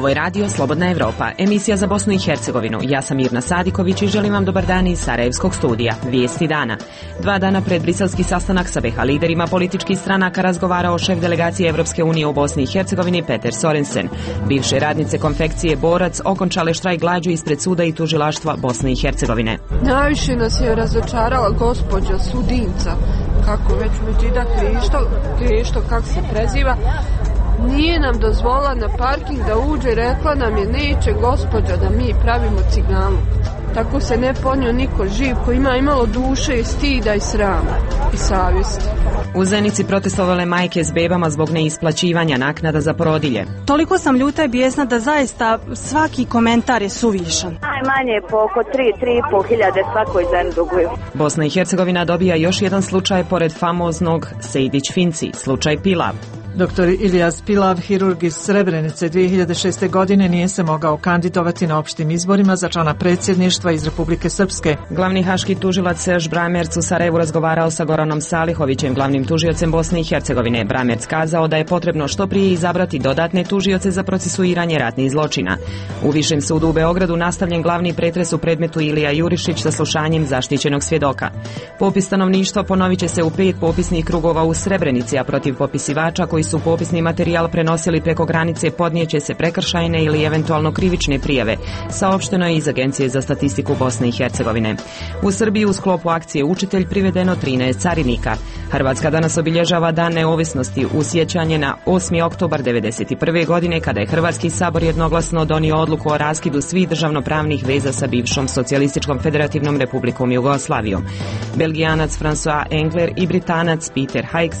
Ovo je radio Slobodna Evropa, emisija za Bosnu i Hercegovinu. Ja sam Mirna Sadiković i želim vam dobar dan iz Sarajevskog studija. Vijesti dana. 2 dana pred briselski sastanak sa BiH liderima političkih stranaka razgovarao šef delegacije Evropske unije u Bosni i Hercegovini Peter Sorensen. Bivše radnice konfekcije Borac okončale štrajk glađu ispred suda i tužilaštva Bosne i Hercegovine. Najviše nas je razočarala gospođa Sudinca, kako već Međida Krišto, kako se preziva. Nije nam dozvolila na parking da uđe, rekla nam je neće gospođa da mi pravimo cigalu. Tako se ne ponio niko živ koji ima imalo duše i stida i srama i savjesti. U Zenici protestovale majke s bebama zbog neisplaćivanja naknada za porodilje. Toliko sam ljuta i bijesna da zaista svaki komentar je suvišan. Najmanje po oko 3-3,5 hiljade svakoj ženi duguju. Bosna i Hercegovina dobija još jedan slučaj pored famoznog Sejdić-Finci, slučaj Pilav. Dr. Ilijas Pilav, hirurg iz Srebrenice, 2006. godine nije se mogao kandidovati na opštim izborima za člana predsjedništva iz Republike Srpske. Glavni haški tužilac Serž Bramerc u Sarajevu razgovarao sa Goranom Salihovićem, glavnim tužiocem Bosne i Hercegovine. Bramerc kazao da je potrebno što prije izabrati dodatne tužioce za procesuiranje ratnih zločina. U Višem sudu u Beogradu nastavljen glavni pretres u predmetu Ilija Jurišić sa slušanjem zaštićenog svjedoka. Popis stanovništva ponovit će se u 5 popisnih krugova u Srebrenici, a protiv popisivača koji su popisni materijal prenosili preko granice podnijeće se prekršajne ili eventualno krivične prijave, saopšteno je iz Agencije za statistiku Bosne i Hercegovine. U Srbiji u sklopu akcije Učitelj privedeno 13 carinika. Hrvatska danas obilježava Dan neovisnosti u sjećanje na 8. oktobar 1991. godine kada je Hrvatski sabor jednoglasno donio odluku o raskidu svih državnopravnih veza sa bivšom socijalističkom federativnom republikom Jugoslavijom. Belgijanac François Engler i Britanac Peter Higgs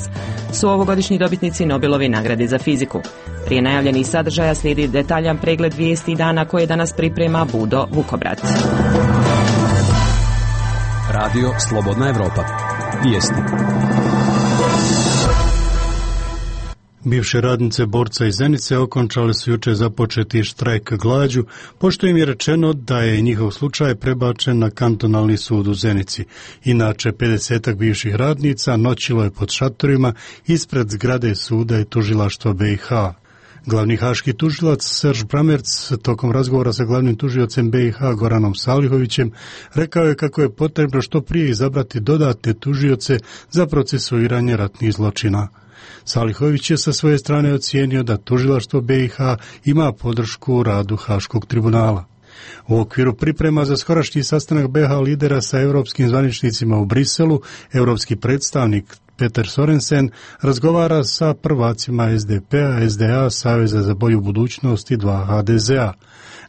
su ovogodišnji dobitnici Nobelove nagrade za fiziku. Prije najavljenih sadržaja slijedi detaljan pregled vijesti dana koje danas priprema Budo Vukobrat. Radio Slobodna Evropa. Vijesti. Bivše radnice Borca iz Zenice okončale su jučer započeti štrajk glađu, pošto im je rečeno da je njihov slučaj prebačen na kantonalni sud u Zenici. Inače, 50-ak bivših radnica noćilo je pod šatorima ispred zgrade suda i tužilaštva BiH. Glavni haški tužilac Serž Bramerc tokom razgovora sa glavnim tužiocem BiH Goranom Salihovićem rekao je kako je potrebno što prije izabrati dodatne tužioce za procesuiranje ratnih zločina. Salihović je sa svoje strane ocijenio da tužilaštvo BiH ima podršku u radu Haškog tribunala. U okviru priprema za skorašnji sastanak BiH lidera sa europskim zvaničnicima u Briselu, europski predstavnik Peter Sorensen razgovara sa prvacima SDP-a, SDA, Saveza za bolju budućnost i 2 HDZ-a.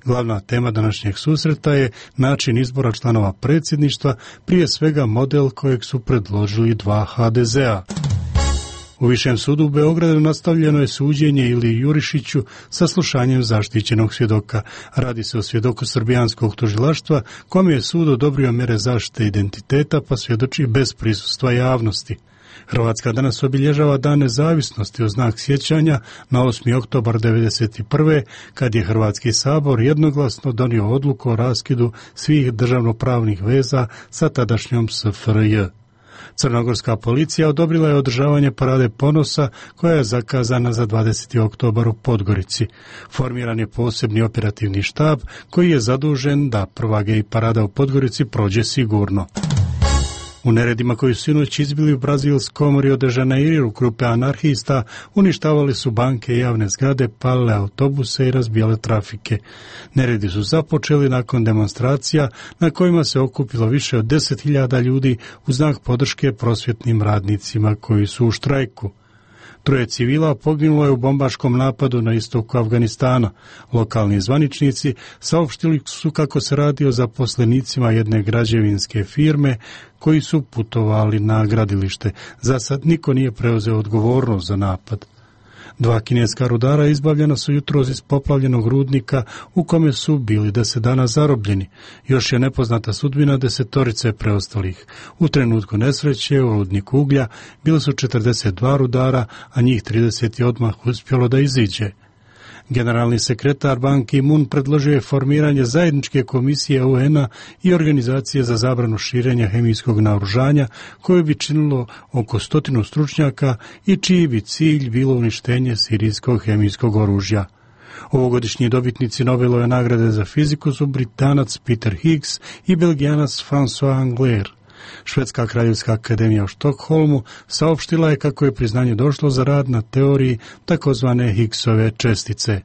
Glavna tema današnjeg susreta je način izbora članova predsjedništva, prije svega model kojeg su predložili 2 HDZ-a. U Višem sudu u Beogradu nastavljeno je suđenje Iliji Jurišiću sa slušanjem zaštićenog svjedoka. Radi se o svjedoku srbijanskog tužilaštva kome je sud odobrio mjere zaštite identiteta pa svjedoči bez prisustva javnosti. Hrvatska danas obilježava Dan nezavisnosti u znak sjećanja na 8. oktobar 1991. kad je Hrvatski sabor jednoglasno donio odluku o raskidu svih državnopravnih veza sa tadašnjom SFRJ. Crnogorska policija odobrila je održavanje parade ponosa koja je zakazana za 20. oktobar u Podgorici. Formiran je posebni operativni štab koji je zadužen da prva gej parada u Podgorici prođe sigurno. U neredima koji su sinoć izbili u brazilskom Rio de Janeiru grupe anarhista uništavali su banke i javne zgrade, palile autobuse i razbijale trafike. Neredi su započeli nakon demonstracija na kojima se okupilo više od 10.000 ljudi u znak podrške prosvjetnim radnicima koji su u štrajku. 3 civila poginulo je u bombaškom napadu na istoku Afganistana. Lokalni zvaničnici saopštili su kako se radi o zaposlenicima jedne građevinske firme koji su putovali na gradilište. Za sad niko nije preuzeo odgovornost za napad. 2 kineska rudara izbavljena su jutros iz poplavljenog rudnika u kome su bili 10 dana zarobljeni. Još je nepoznata sudbina 10 preostalih. U trenutku nesreće u rudniku uglja bili su 42 rudara, a njih 30 je odmah uspjelo da iziđe. Generalni sekretar Ban Ki-moon predložio je formiranje zajedničke komisije UN-a i organizacije za zabranu širenja hemijskog naoružanja koje bi činilo oko 100 stručnjaka i čiji bi cilj bilo uništenje sirijskog hemijskog oružja. Ovogodišnji dobitnici Nobelove nagrade za fiziku su Britanac Peter Higgs i Belgijanac François Angler. Švedska kraljevska akademija u Štokholmu saopštila je kako je priznanje došlo za rad na teoriji takozvane Higgsove čestice.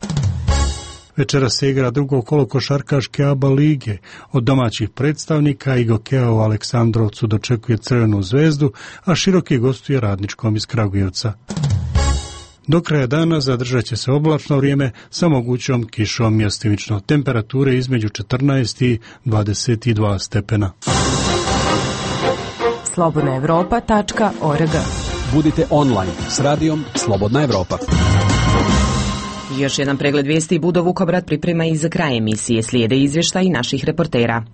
Večera se igra drugo kolo košarkaške ABA lige. Od domaćih predstavnika Igokeja u Aleksandrovcu dočekuje Crvenu zvezdu, a Široki gostuje Radničkom iz Kragujevca. Do kraja dana zadržat će se oblačno vrijeme sa mogućom kišom mjestimično. Temperature između 14 i 22 stepena. slobodnaevropa.org. Budite online s radijom Slobodna Evropa. Još jedan pregled vijesti Budo Vukobrad priprema i za kraj emisije. Slijede izvještaji naših reportera.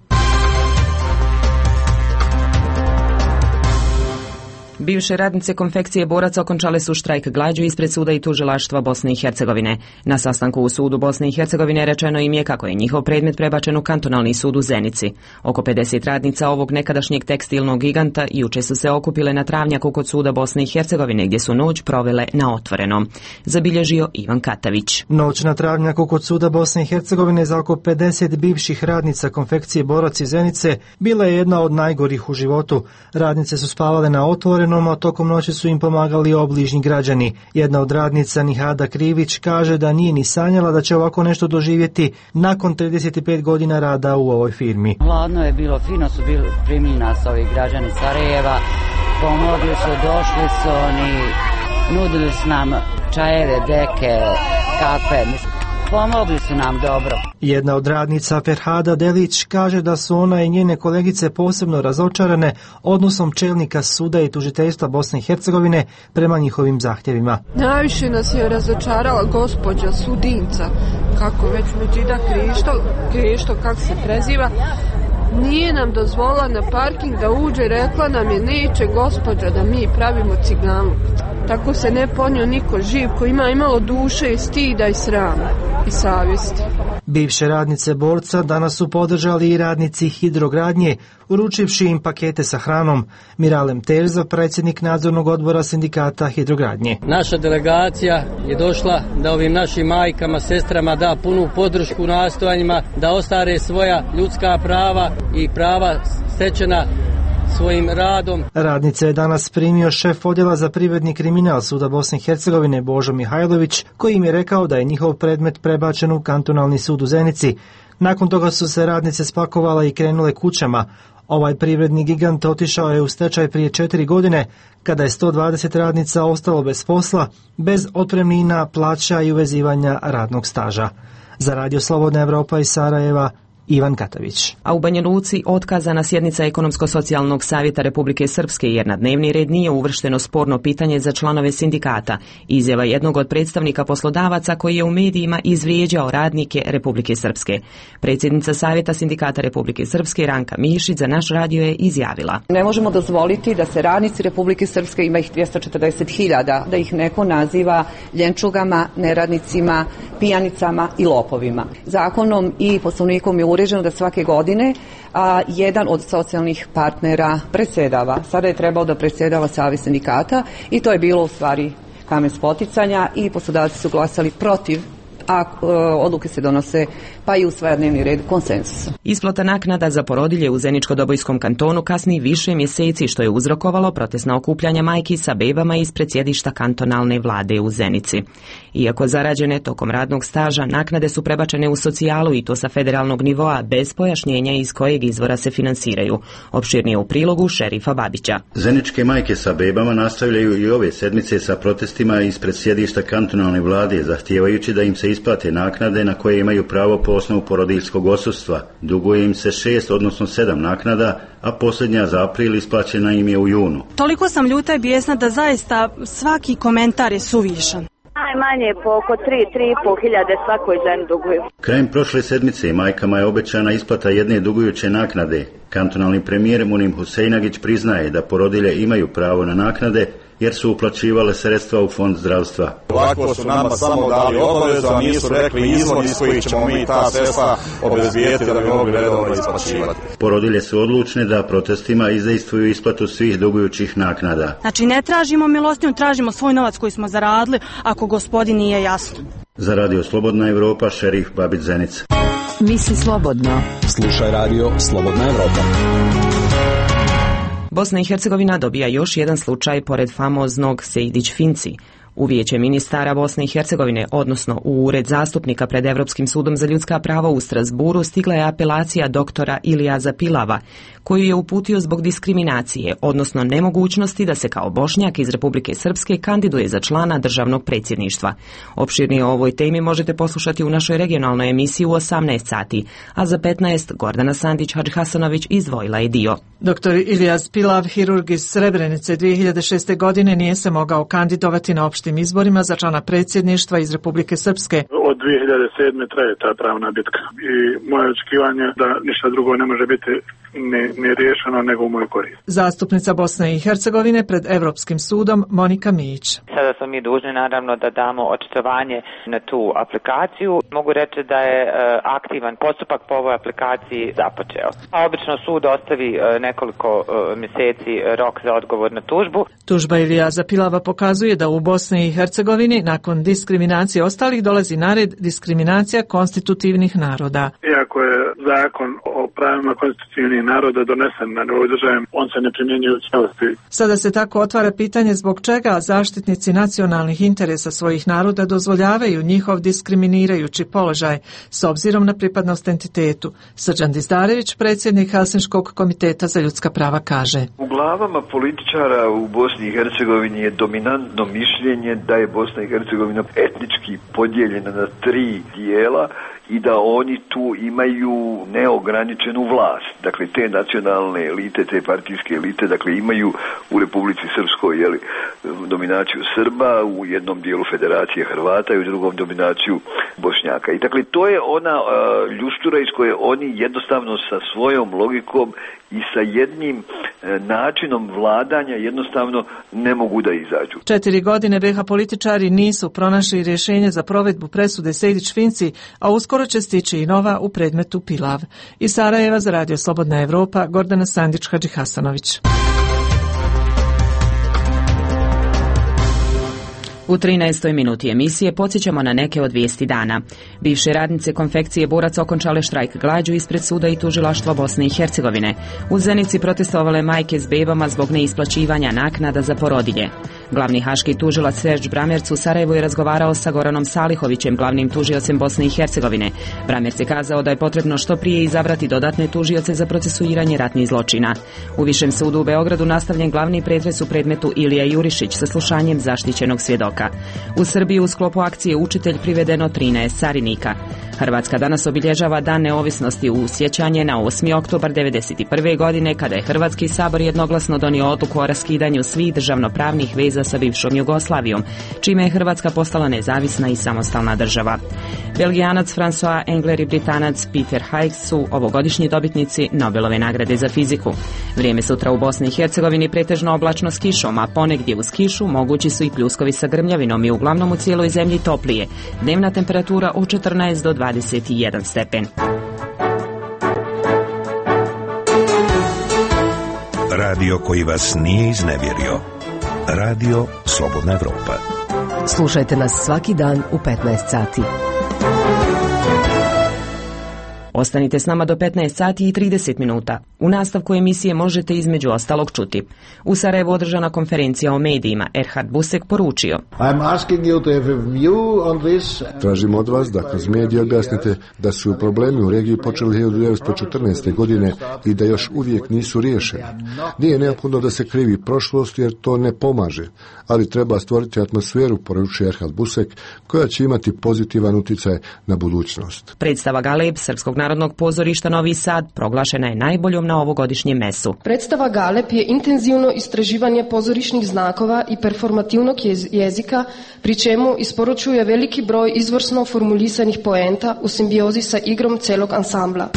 Bivše radnice konfekcije boraca okončale su štrajk glađu ispred suda i tužilaštva Bosne i Hercegovine. Na sastanku u sudu Bosne i Hercegovine rečeno im je kako je njihov predmet prebačen u kantonalni sud u Zenici. Oko 50 radnica ovog nekadašnjeg tekstilnog giganta juče su se okupile na travnjaku kod suda Bosne i Hercegovine gdje su noć provele na otvorenom. Zabilježio Ivan Katavić. Noć na travnjaku kod suda Bosne i Hercegovine za oko 50 bivših radnica konfekcije borac iz Zenice bila je jedna od najgorih u životu. Radnice su spavale na otvorenom, a tokom noći su im pomagali obližnji građani. Jedna od radnica, Nihada Krivić, kaže da nije ni sanjala da će ovako nešto doživjeti nakon 35 godina rada u ovoj firmi. Hladno je bilo, fino su bili primili nas ovi građani Sarajeva, pomogli su, došli su oni, nudili su nam čajeve, deke, kafe, pomogli su nam dobro. Jedna od radnica, Ferhada Delić, kaže da su ona i njene kolegice posebno razočarane odnosom čelnika suda i tužiteljstva Bosne i Hercegovine prema njihovim zahtjevima. Najviše nas je razočarala gospođa Sudinca, kako već Međida Krišto, kako se preziva. Nije nam dozvolila na parking da uđe, rekla nam je neće gospođa da mi pravimo ciganu. Tako se ne ponio niko živ koji ima imalo duše i stida i srama i savjesti. Bivše radnice borca danas su podržali i radnici Hidrogradnje, uručivši im pakete sa hranom. Miralem Terzo, predsjednik nadzornog odbora sindikata Hidrogradnje. Naša delegacija je došla da ovim našim majkama, sestrama da punu podršku nastojanjima da ostvare svoja ljudska prava i prava stečena svojim radom. Radnice je danas primio šef odjela za privredni kriminal suda Bosne i Hercegovine Božo Mihajlović, koji im je rekao da je njihov predmet prebačen u kantonalni sud u Zenici. Nakon toga su se radnice spakovala i krenule kućama. Ovaj privredni gigant otišao je u stečaj prije 4 godine, kada je 120 radnica ostalo bez posla, bez otpremnina, plaća i uvezivanja radnog staža. Za Radio Slobodna Evropa iz Sarajeva, Ivan Katavić. A u Banja Luci otkazana sjednica Ekonomsko-socijalnog savjeta Republike Srpske jer na dnevni red nije uvršteno sporno pitanje za članove sindikata. Izjava jednog od predstavnika poslodavaca koji je u medijima izvrijeđao radnike Republike Srpske. Predsjednica Savjeta sindikata Republike Srpske Ranka Mišić za naš radio je izjavila: Ne možemo dozvoliti da se radnici Republike Srpske, ima ih 240.000, da ih neko naziva ljenčugama, neradnicima, pijanicama i lopovima. Zakonom i poslovnikom je uređeno da svake godine jedan od socijalnih partnera predsjedava. Sada je trebao da predsjedava Savez sindikata i to je bilo u stvari kamen spoticanja i poslodavci su glasali protiv, a odluke se donose pa i usvaja dnevni red konsenzusom. Isplata naknada za porodilje u Zeničko-Dobojskom kantonu kasni više mjeseci, što je uzrokovalo protestna okupljanja majki sa bebama ispred sjedišta kantonalne vlade u Zenici. Iako zarađene tokom radnog staža, naknade su prebačene u socijalu i to sa federalnog nivoa bez pojašnjenja iz kojeg izvora se finansiraju. Opširnije u prilogu šerifa Babića. Zeničke majke sa bebama nastavljaju i ove sedmice sa protestima ispred sjedišta kantonalne vlade, zahtijevajući da im se isplate naknade na koje imaju pravo po osnovu porodiljskog odsustva. Duguje im se 6, odnosno 7 naknada, a posljednja za april isplaćena im je u junu. Toliko sam ljuta i bijesna da zaista svaki komentar je suvišan. Najmanje po oko 3,5 hiljade svakoj ženi duguju. Krajem prošle sedmice majkama je obećana isplata jedne dugujuće naknade. Kantonalni premijer Munim Huseinagić priznaje da porodilje imaju pravo na naknade jer su uplaćivale sredstva u fond zdravstva. Ovako su nama samo dali obavezu, a nisu rekli izvor iz kojih ćemo mi ta sredstva obezbijeti da bi mogli redovno isplaćivati. Porodilje su odlučne da protestima izdejstvuju isplatu svih dugujućih naknada. Znači ne tražimo milostinju, tražimo svoj novac koji smo zaradili, ako gospodin nije jasno. Za Radio Slobodna Evropa, Šerif Babić Zenica. Misli slobodno. Slušaj Radio Slobodna Evropa. Bosna i Hercegovina dobija još jedan slučaj pored famoznog Sejdić-Finci. U Vijeće ministara Bosne i Hercegovine, odnosno u Ured zastupnika pred Evropskim sudom za ljudska prava u Strasburu, stigla je apelacija doktora Ilijaza Pilava, koju je uputio zbog diskriminacije, odnosno nemogućnosti da se kao Bošnjak iz Republike Srpske kandiduje za člana državnog predsjedništva. Opširnije o ovoj temi možete poslušati u našoj regionalnoj emisiji u 18 sati, a za 15 Gordana Sandić-Hadžihasanović izdvojila je dio. Doktor Ilijaz Pilav, hirurg iz Srebrenice, 2006. godine nije se mogao kandidovati na opštim izborima za člana predsjedništva iz Republike Srpske. Od 2007. traje ta pravna bitka i moje očekivanje da ništa drugo ne može biti ni riješeno nego u moju korist. Zastupnica Bosne i Hercegovine pred Evropskim sudom Monika Mijić. Sada smo mi dužni naravno da damo očitovanje na tu aplikaciju. Mogu reći da je aktivan postupak po ovoj aplikaciji započeo. A obično sud ostavi nekoliko mjeseci rok za odgovor na tužbu. Tužba Ilijaza Pilava pokazuje da u Bosni i Hercegovini nakon diskriminacije ostalih dolazi na red diskriminacija konstitutivnih naroda. Iako je zakon o pravima konstitutivnih naroda donesen na nivou države, on se ne primjenjuje u cijelosti. Sada se tako otvara pitanje zbog čega zaštitnici nacionalnih interesa svojih naroda dozvoljavaju njihov diskriminirajući položaj s obzirom na pripadnost entitetu. Srđan Dizdarević, predsjednik Helsinškog komiteta za ljudska prava, kaže: U glavama političara u Bosni i Hercegovini je dominantno mišljenje da je Bosna i Hercegovina etnički podijeljena na 3 dijela i da oni tu imaju neograničenu vlast. Dakle, te nacionalne elite, te partijske elite, dakle, imaju u Republici Srpskoj dominaciju Srba, u jednom dijelu Federacije Hrvata i u drugom dominaciju Bošnjaka. I dakle, to je ona ljustura iz koje oni jednostavno sa svojom logikom i sa jednim načinom vladanja jednostavno ne mogu da izađu. 4 godine BiH političari nisu pronašli rješenje za provedbu presude Sejdić-Finci, a uskoro će stići i nova u predmetu Pilav. Iz Sarajeva za Radio Slobodna Evropa, Gordana Sandić-Hadžihasanović. U 13. minuti emisije podsjećamo na neke od vijesti dana. Bivše radnice konfekcije Burac okončale štrajk glađu ispred suda i tužilaštva Bosne i Hercegovine. U Zenici protestovale majke s bebama zbog neisplaćivanja naknada za porodilje. Glavni haški tužilac Serđ Bramerc u Sarajevu je razgovarao sa Goranom Salihovićem, glavnim tužiocem Bosne i Hercegovine. Bramerc je kazao da je potrebno što prije izabrati dodatne tužioce za procesuiranje ratnih zločina. U Višem sudu u Beogradu nastavljen glavni pretres u predmetu Ilija Jurišić sa slušanjem zaštićenog svjedoka. U Srbiji u sklopu akcije Učitelj privedeno 13 carinika. Hrvatska danas obilježava Dan neovisnosti u sjećanje na 8. oktobar 1991. godine kada je Hrvatski sabor jednoglasno donio odluku o raskidanju svih državnopravnih veza sa bivšom Jugoslavijom, čime je Hrvatska postala nezavisna i samostalna država. Belgijanac François Engler i Britanac Peter Higgs su ovogodišnji dobitnici Nobelove nagrade za fiziku. Vrijeme sutra u Bosni i Hercegovini pretežno oblačno s kišom, a ponegdje uz kišu mogući su i pljuskovi sa grmljavinom i uglavnom u cijeloj zemlji toplije. Dnevna temperatura od 14 do 21 stepen. Radio koji vas nije iznevjerio. Radio Slobodna Evropa. Slušajte nas svaki dan u 15 sati. Ostanite s nama do 15 sati i 30 minuta. U nastavku emisije možete između ostalog čuti. U Sarajevu održana konferencija o medijima. Erhard Busek poručio: Tražim od vas da kroz medije objasnite da su problemi u regiji počeli 1914. godine i da još uvijek nisu riješeni. Nije neophodno da se krivi prošlost jer to ne pomaže, ali treba stvoriti atmosferu, poručuje Erhard Busek, koja će imati pozitivan utjecaj na budućnost. Predstava Galeb Srpskog narodnog pozorišta Novi Sad proglašena je najboljom na ovogodišnjem mesu. Predstava Galeb je intenzivno istraživanje pozorišnih znakova i performativnog jezika, pri čemu isporučuje veliki broj izvrsno formulisanih poenta u simbiozi sa igrom celog ansambla.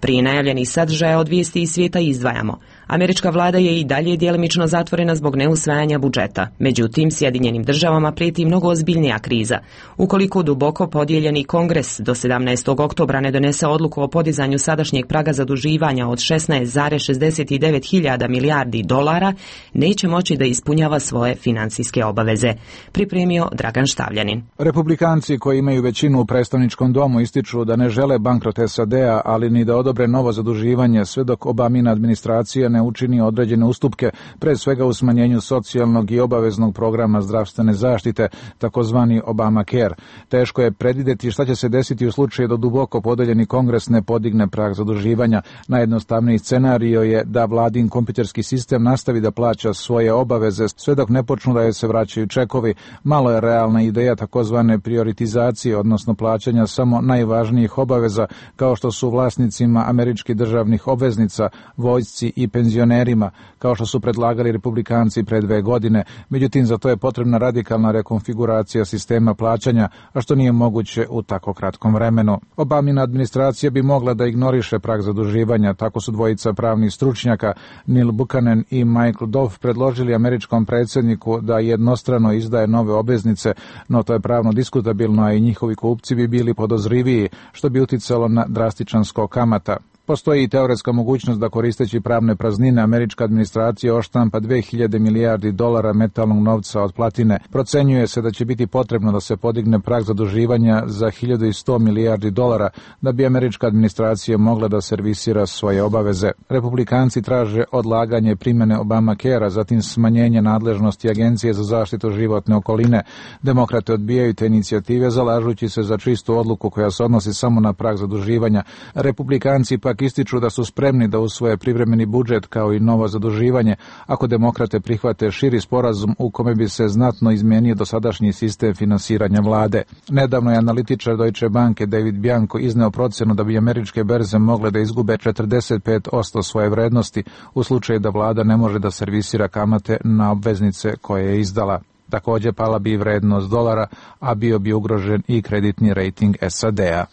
Prije najavljenih sadržaja od vijesti iz svijeta izdvajamo. Američka vlada je i dalje djelimično zatvorena zbog neusvajanja budžeta. Međutim, Sjedinjenim državama prijeti mnogo ozbiljnija kriza. Ukoliko duboko podijeljeni kongres do 17. oktobra ne donese odluku o podizanju sadašnjeg praga zaduživanja od 16,69 hiljada milijardi dolara, neće moći da ispunjava svoje financijske obaveze. Pripremio Dragan Štavljanin. Republikanci koji imaju većinu u predstavničkom domu ističu da ne žele bankrot SAD-a, ali ni da odobre novo zaduživanje sve dok Obamina administracija ne učini određene ustupke, pre svega u smanjenju socijalnog i obaveznog programa zdravstvene zaštite, takozvani Obamacare. Teško je predvidjeti šta će se desiti u slučaju da duboko podeljeni kongres ne podigne prag zaduživanja. Najjednostavniji scenario je da vladin kompjuterski sistem nastavi da plaća svoje obaveze sve dok ne počnu da joj se vraćaju čekovi. Malo je realna ideja takozvane prioritizacije, odnosno plaćanja samo najvažnijih obaveza, kao što su vlasnicima američkih državnih obveznica, vojsci i penzionerima, kao što su predlagali republikanci pre 2 godine. Međutim, za to je potrebna radikalna rekonfiguracija sistema plaćanja, a što nije moguće u tako kratkom vremenu. Obamina administracija bi mogla da ignoriše prag zaduživanja, tako su dvojica pravnih stručnjaka, Neil Buchanan i Michael Dove, predložili američkom predsjedniku da jednostrano izdaje nove obveznice, no to je pravno diskutabilno, a i njihovi kupci bi bili podozriviji, što bi uticalo na drastičan skok kamata. Postoji i teoretska mogućnost da koristeći pravne praznine američka administracija oštampa 2000 milijardi dolara metalnog novca od platine. Procenjuje se da će biti potrebno da se podigne prag zaduživanja za 1100 milijardi dolara da bi američka administracija mogla da servisira svoje obaveze. Republikanci traže odlaganje primjene Obamacare-a, zatim smanjenje nadležnosti Agencije za zaštitu životne okoline. Demokrate odbijaju te inicijative, zalažući se za čistu odluku koja se odnosi samo na prag zaduživanja. Republikanci pak ističu da su spremni da usvoje privremeni budžet kao i novo zaduživanje ako demokrate prihvate širi sporazum u kome bi se znatno izmenio dosadašnji sistem finansiranja vlade. Nedavno je analitičar Deutsche Banke David Bianco izneo procenu da bi američke berze mogle da izgube 45% svoje vrednosti u slučaju da vlada ne može da servisira kamate na obveznice koje je izdala. Također pala bi vrednost dolara, a bio bi ugrožen i kreditni rejting SAD-a.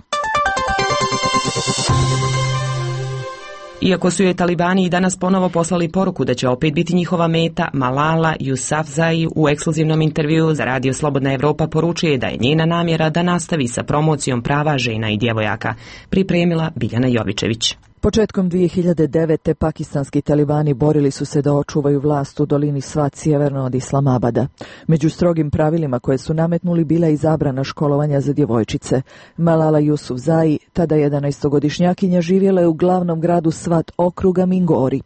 Iako su je talibani i danas ponovo poslali poruku da će opet biti njihova meta, Malala Yousafzai u ekskluzivnom intervjuu za Radio Slobodna Evropa poručuje da je njena namjera da nastavi sa promocijom prava žena i djevojaka. Pripremila Biljana Jovičević. Početkom 2009. pakistanski talibani borili su se da očuvaju vlast u dolini Svat sjeverno od Islamabada. Među strogim pravilima koje su nametnuli bila i zabrana školovanja za djevojčice. Malala Yousafzai, tada 11-godišnjakinja, živjela je u glavnom gradu Svat okruga Mingori.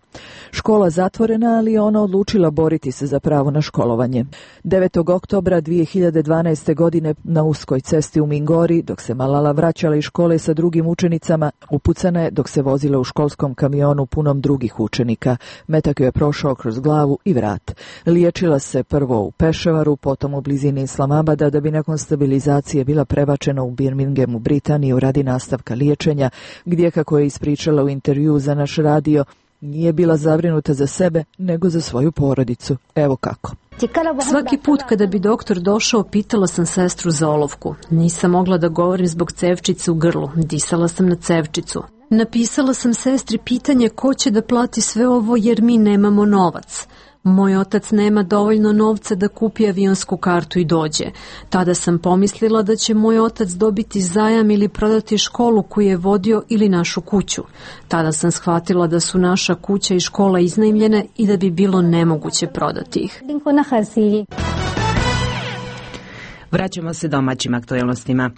Škola zatvorena, ali je ona odlučila boriti se za pravo na školovanje. 9. oktobra 2012. godine na uskoj cesti u Mingori, dok se Malala vraćala iz škole sa drugim učenicama, upucana je dok se vozila u školskom kamionu punom drugih učenika. Metak joj je prošao kroz glavu i vrat. Liječila se prvo u Peševaru, potom u blizini Islamabada, da bi nakon stabilizacije bila prebačena u Birminghamu, Britaniju, radi nastavka liječenja, gdje, kako je ispričala u intervjuu za naš radio, nije bila zabrinuta za sebe, nego za svoju porodicu. Evo kako. Svaki put kada bi doktor došao, pitala sam sestru za olovku. Nisam mogla da govorim zbog cevčice u grlu. Disala sam na cevčicu. Napisala sam sestri pitanje ko će da plati sve ovo jer mi nemamo novac. Moj otac nema dovoljno novca da kupi avionsku kartu i dođe. Tada sam pomislila da će moj otac dobiti zajam ili prodati školu koju je vodio ili našu kuću. Tada sam shvatila da su naša kuća i škola iznajmljene i da bi bilo nemoguće prodati ih. Vraćamo se domaćim aktualnostima.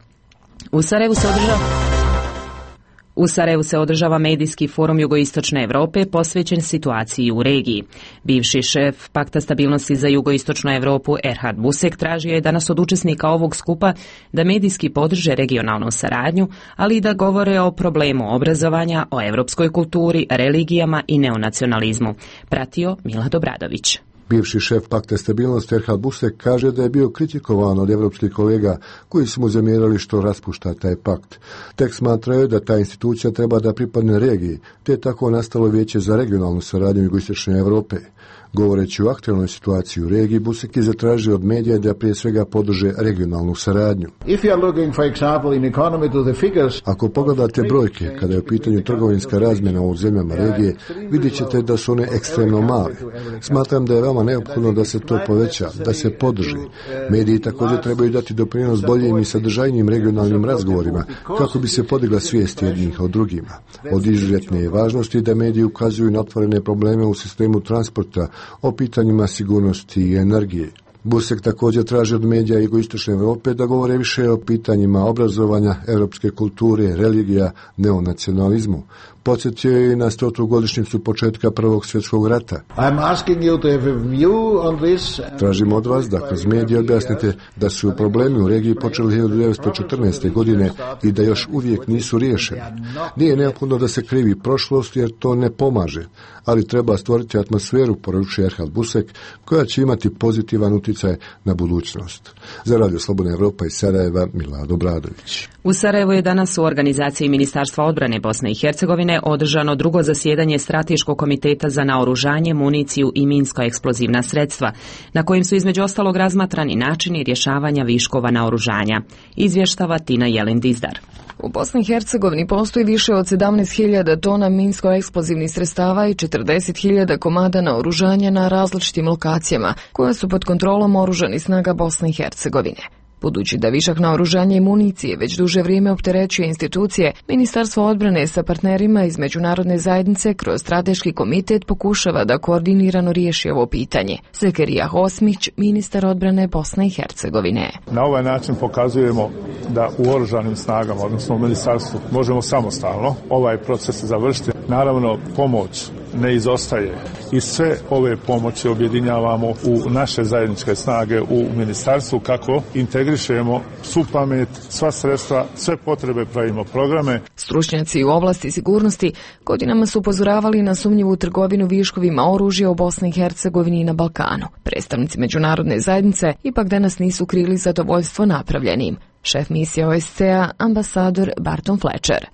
U Sarajevu se održava medijski forum jugoistočne Europe posvećen situaciji u regiji. Bivši šef Pakta stabilnosti za jugoistočnu Europu Erhard Busek tražio je danas od učesnika ovog skupa da medijski podrže regionalnu saradnju, ali i da govore o problemu obrazovanja, o europskoj kulturi, religijama i neonacionalizmu. Pratio Milad Obradović. Bivši šef Pakta stabilnosti Erhard Busek kaže da je bio kritikovan od evropskih kolega koji su mu zamjerali što raspušta taj pakt. Tek smatraju da ta institucija treba da pripadne regiji, te je tako nastalo Vijeće za regionalnu saradnju jugoistočne Europe. Govoreći o aktualnoj situaciji u regiji, Busek je zatražio od medija da prije svega podrže regionalnu saradnju. Ako pogledate brojke, kada je u pitanju trgovinska razmjena u zemljama regije, vidjet ćete da su one ekstremno male. Smatram da je veoma neophodno da se to poveća, da se podrži. Mediji također trebaju dati doprinos boljim i sadržajnijim regionalnim razgovorima, kako bi se podigla svijest jednih o drugima. Od izuzetne je važnosti da mediji ukazuju na otvorene probleme u sistemu transporta, o pitanjima sigurnosti i energije. Busek također traži od medija jugoistočne Europe da govore više o pitanjima obrazovanja, europske kulture, religija, neonacionalizmu. Podsjetio je i na 100. godišnjicu početka Prvog svjetskog rata. Tražim od vas da kroz medije objasnite da su problemi u regiji počeli 1914. godine i da još uvijek nisu riješeni. Nije neophodno da se krivi prošlost jer to ne pomaže, ali treba stvoriti atmosferu, poručuje Erhard Busek, koja će imati pozitivan utjecaj na budućnost. Za Radio Slobodna Evropa iz Sarajeva, Milado Bradović. U Sarajevu je danas u organizaciji Ministarstva odbrane Bosne i Hercegovine održano drugo zasjedanje Strateškog komiteta za naoružanje, municiju i minsko-eksplozivna sredstva, na kojim su između ostalog razmatrani načini rješavanja viškova naoružanja. Izvještava Tina Jelin-Dizdar. U Bosni i Hercegovini postoji više od 17.000 tona minsko-eksplozivnih sredstava i 40.000 komada naoružanja na različitim lokacijama, koja su pod kontrolom oružanih snaga Bosne i Hercegovine. Budući da višak naoružanja i municije već duže vrijeme opterećuje institucije, Ministarstvo odbrane sa partnerima iz međunarodne zajednice kroz strateški komitet pokušava da koordinirano riješi ovo pitanje. Zekerija Hosmić, ministar odbrane Bosne i Hercegovine. Na ovaj način pokazujemo da u oružanim snagama, odnosno u ministarstvu, možemo samostalno ovaj proces završiti. Naravno, pomoć ne izostaje i sve ove pomoći objedinjavamo u naše zajedničke snage u ministarstvu kako integrišemo svu pamet, sva sredstva, sve potrebe, pravimo programe. Stručnjaci u oblasti sigurnosti godinama su upozoravali na sumnjivu trgovinu viškovima oružja u Bosni i Hercegovini i na Balkanu. Predstavnici međunarodne zajednice ipak danas nisu krili zadovoljstvo napravljenim. Šef misije OSCE-a, ambasador Barton Fletcher.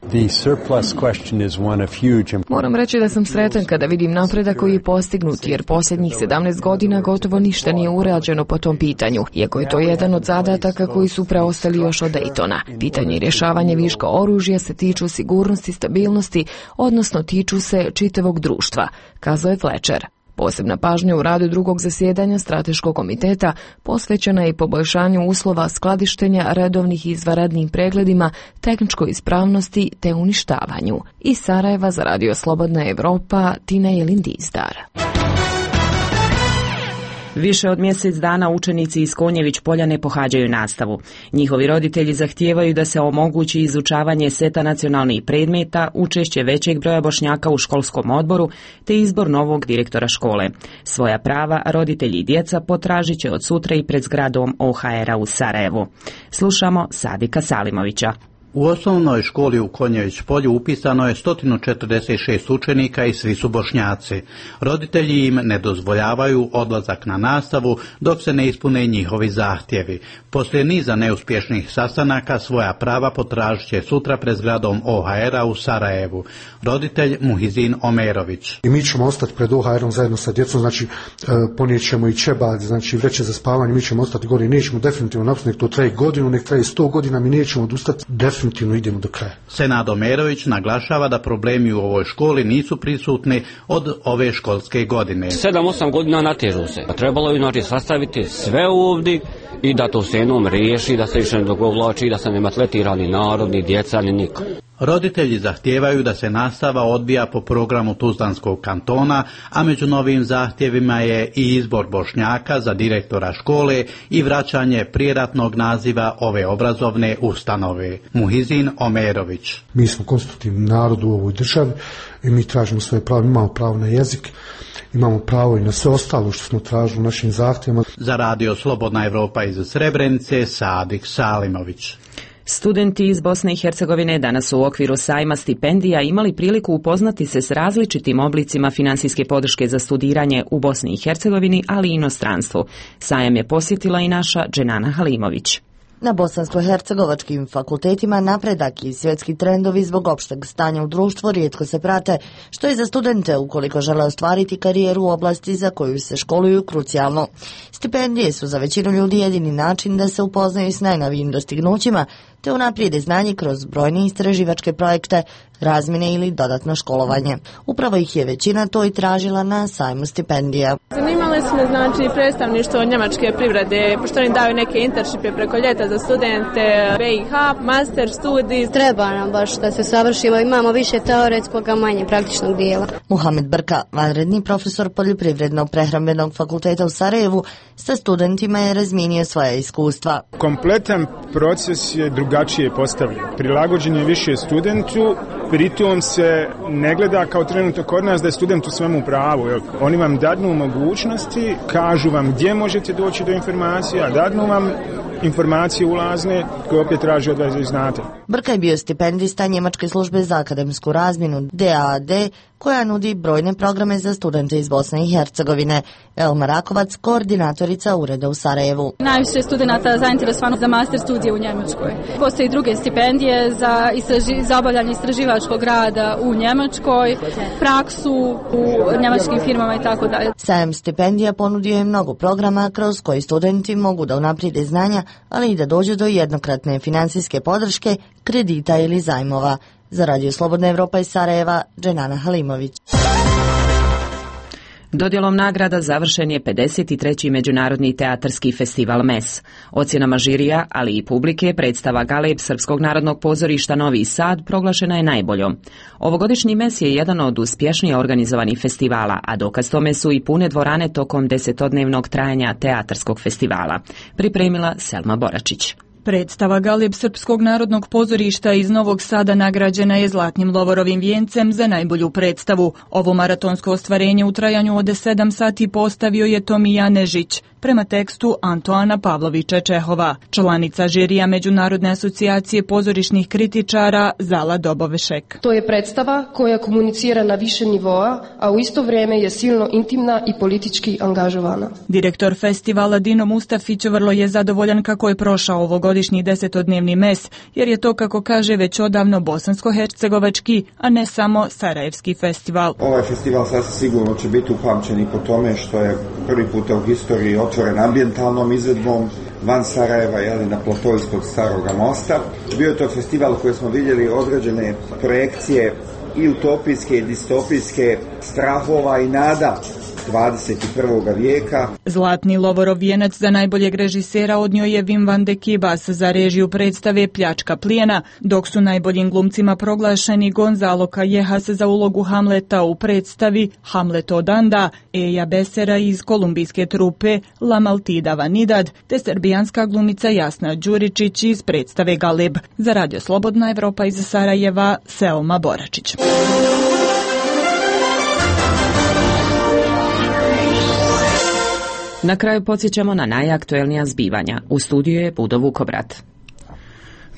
Moram reći da sam sretan kada vidim napredak koji je postignut, jer posljednjih 17 godina gotovo ništa nije urađeno po tom pitanju, iako je to jedan od zadataka koji su preostali još od Daytona. Pitanje i rješavanje viška oružja se tiču sigurnosti, stabilnosti, odnosno tiču se čitavog društva, kazao je Fletcher. Posebna pažnja u radu drugog zasjedanja Strateškog komiteta posvećena je poboljšanju uslova skladištenja, redovnih i izvanrednim pregledima, tehničkoj ispravnosti te uništavanju. Iz Sarajeva za Radio Slobodna Evropa, Tina Jelin-Dizdar. Više od mjesec dana učenici iz Konjević polja ne pohađaju nastavu. Njihovi roditelji zahtijevaju da se omogući izučavanje seta nacionalnih predmeta, učešće većeg broja Bošnjaka u školskom odboru te izbor novog direktora škole. Svoja prava roditelji i djeca potražit će od sutra i pred zgradom OHR-a u Sarajevu. Slušamo Sadika Salimovića. U osnovnoj školi u Konjević polju upisano je 146 učenika i svi su Bošnjaci. Roditelji im ne dozvoljavaju odlazak na nastavu dok se ne ispune njihovi zahtjevi. Poslije niza neuspješnih sastanaka svoja prava potražit će sutra pred zgradom OHR-a u Sarajevu. Roditelj Muhizin Omerović. I mi ćemo ostati pred OHR-om zajedno sa djecom, znači ponijet ćemo i čebad, znači vreće za spavanje, mi ćemo ostati gore, nećemo definitivno napustiti, nek to traje godinu, nek traje 100 godina, mi nećemo odustati, definitivno idemo do kraja. Senad Omerović naglašava da problemi u ovoj školi nisu prisutni od ove školske godine. 7-8 godina natežu se. Trebalo je znači sastaviti sve ovdje i da to se jednom riješi, da se više ne dogovlači, da se ne maltretira ni narod, ni djeca, ni niko. Roditelji zahtijevaju da se nastava odvija po programu Tuzlanskog kantona, a među novim zahtjevima je i izbor Bošnjaka za direktora škole i vraćanje prijeratnog naziva ove obrazovne ustanove. Muhizin Omerović. Mi smo konstitutivni narod u ovoj državi i mi tražimo svoje pravo, imamo pravo na jezik, imamo pravo i na sve ostalo što smo tražili u našim zahtjevima. Za Radio Slobodna Evropa iz Srebrenice, Sadik Salimović. Studenti iz Bosne i Hercegovine danas su u okviru sajma stipendija imali priliku upoznati se s različitim oblicima financijske podrške za studiranje u Bosni i Hercegovini, ali i inostranstvu. Sajam je posjetila i naša Dženana Halimović. Na bosansko-hercegovačkim fakultetima napredak i svjetski trendovi zbog opšteg stanja u društvu rijetko se prate, što je za studente ukoliko žele ostvariti karijeru u oblasti za koju se školuju krucijalno. Stipendije su za većinu ljudi jedini način da se upoznaju s najnovijim dostignućima, te unaprijede znanje kroz brojne istraživačke projekte, razmjene ili dodatno školovanje. Upravo ih je većina to i tražila na sajmu stipendija. Zanimali smo predstavništvo njemačke privrede, pošto oni daju neke internshipe preko ljeta za studente, BiH, master studij. Treba nam baš da se savršimo, imamo više teoretskog, a manje praktičnog dijela. Muhamed Brka, vanredni profesor Poljoprivredno-prehrambenog fakulteta u Sarajevu, sa studentima je razmijenio svoje iskustva. Kompletan proces je drugačije postavljen. Prilagođen je više studentu, pritom se ne gleda kao trenutno kod nas da je student u svemu pravu. Oni vam dadnu mogućnosti, kažu vam gdje možete doći do informacija, dadnu vam informacije ulazne koje opet traži od vas da znate. Brka je bio stipendista Njemačke službe za akademsku razmjenu DAAD, koja nudi brojne programe za studente iz Bosne i Hercegovine. Elma Rakovac, koordinatorica ureda u Sarajevu. Najviše studenta zainteresovano za master studije u Njemačkoj. Postoje i druge stipendije za obavljanje istraživačkog rada u Njemačkoj, praksu u njemačkim firmama i tako dalje. Sajam stipendija ponudio je mnogo programa kroz koji studenti mogu da unaprijede znanja, ali i da dođu do jednokratne financijske podrške, kredita ili zajmova. Za Radio Slobodna Evropa iz Sarajeva, Dženana Halimović. Dodjelom nagrada završen je 53. Međunarodni teatarski festival MES. Ocjenama žirija, ali i publike, predstava Galeb Srpskog narodnog pozorišta Novi Sad proglašena je najboljom. Ovogodišnji MES je jedan od uspješnije organizovanih festivala, a dokaz tome su i pune dvorane tokom 10-dnevnog trajanja teatarskog festivala. Pripremila Selma Boračić. Predstava Galeb Srpskog narodnog pozorišta iz Novog Sada nagrađena je Zlatnim Lovorovim vijencem za najbolju predstavu. Ovo maratonsko ostvarenje u trajanju od 7 sati postavio je Tomija Nežić, prema tekstu Antoana Pavlovića Čehova. Članica žirija Međunarodne asocijacije pozorišnih kritičara Zala Dobovešek. To je predstava koja komunicira na više nivoa, a u isto vrijeme je silno intimna i politički angažovana. Direktor festivala Dino Mustafić vrlo je zadovoljan kako je prošao ovogodišnji 10-dnevni MES, jer je to, kako kaže, već odavno bosansko-hercegovački, a ne samo sarajevski festival. Ovaj festival sasvim sigurno će biti upamćen i po tome što je prvi puta u historiji otvoren ambijentalnom izvedbom van Sarajeva, na platou ispod Staroga mosta. Bio je to festival koji smo vidjeli određene projekcije i utopijske i distopijske, strahova i nada 21. vijeka. Zlatni Lovorov vijenac za najboljeg režisera odnio je Wim van de Kibas za režiju predstave Pljačka plijena, dok su najboljim glumcima proglašeni Gonzalo Callejas za ulogu Hamleta u predstavi Hamlet Odanda, Eja Besera iz kolumbijske trupe La Maltida Vanidad, te srbijanska glumica Jasna Đuričić iz predstave Galeb. Za Radio Slobodna Evropa iz Sarajeva, Selma Boračić. Na kraju podsjećamo na najaktuelnija zbivanja. U studiju je Budo Vukobrat.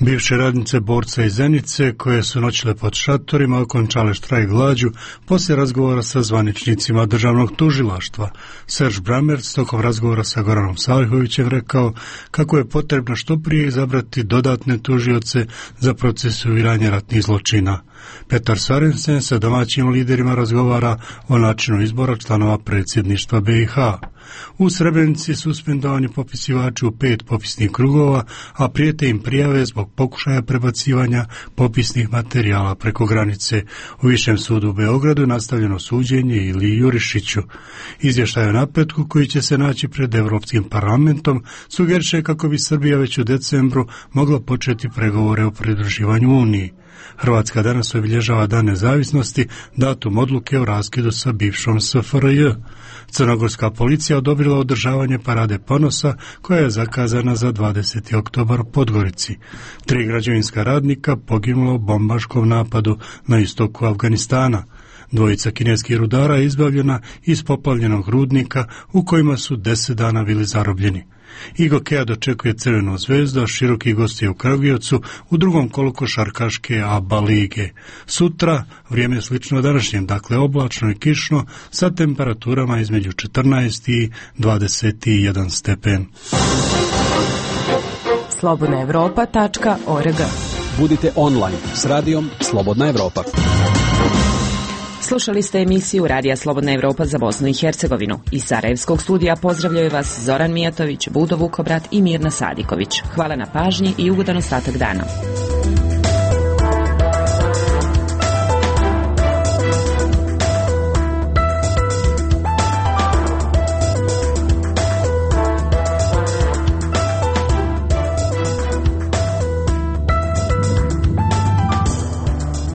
Bivše radnice borca iz Zenice, koje su noćile pod šatorima, okončale štrajk glađu poslije razgovora sa zvaničnicima državnog tužilaštva. Serž Bramerc tokom razgovora sa Goranom Salihovićem rekao kako je potrebno što prije izabrati dodatne tužioce za procesuiranje ratnih zločina. Petar Sarensen sa domaćim liderima razgovara o načinu izbora članova predsjedništva BiH. U Srebrenici suspendovani popisivači u 5 popisnih krugova, a prijete im prijave zbog pokušaja prebacivanja popisnih materijala preko granice. U Višem sudu u Beogradu nastavljeno suđenje Iliji Jurišiću. Izvještaj o napretku koji će se naći pred Evropskim parlamentom sugeriše kako bi Srbija već u decembru mogla početi pregovore o pridruživanju Uniji. Hrvatska danas obilježava Dan nezavisnosti, datum odluke o raskidu sa bivšom SFRJ. Crnogorska policija odobrila održavanje parade ponosa koja je zakazana za 20. oktobar u Podgorici. 3 građevinska radnika poginulo u bombaškom napadu na istoku Afganistana. 2 kineskih rudara je izbavljena iz poplavljenog rudnika u kojima su 10 dana bili zarobljeni. Igokea dočekuje Crvenu zvezdu, a Široki gosti u Kragujevcu u drugom kolu košarkaške ABA lige. Sutra vrijeme je slično današnjem, dakle oblačno i kišno sa temperaturama između 14 i 21 stepen. slobodnaevropa.org. Budite online s radijom Slobodna Evropa. Slušali ste emisiju Radija Slobodna Evropa za Bosnu i Hercegovinu. Iz Sarajevskog studija pozdravljaju vas Zoran Mijatović, Budo Vukobrat i Mirna Sadiković. Hvala na pažnji i ugodan ostatak dana.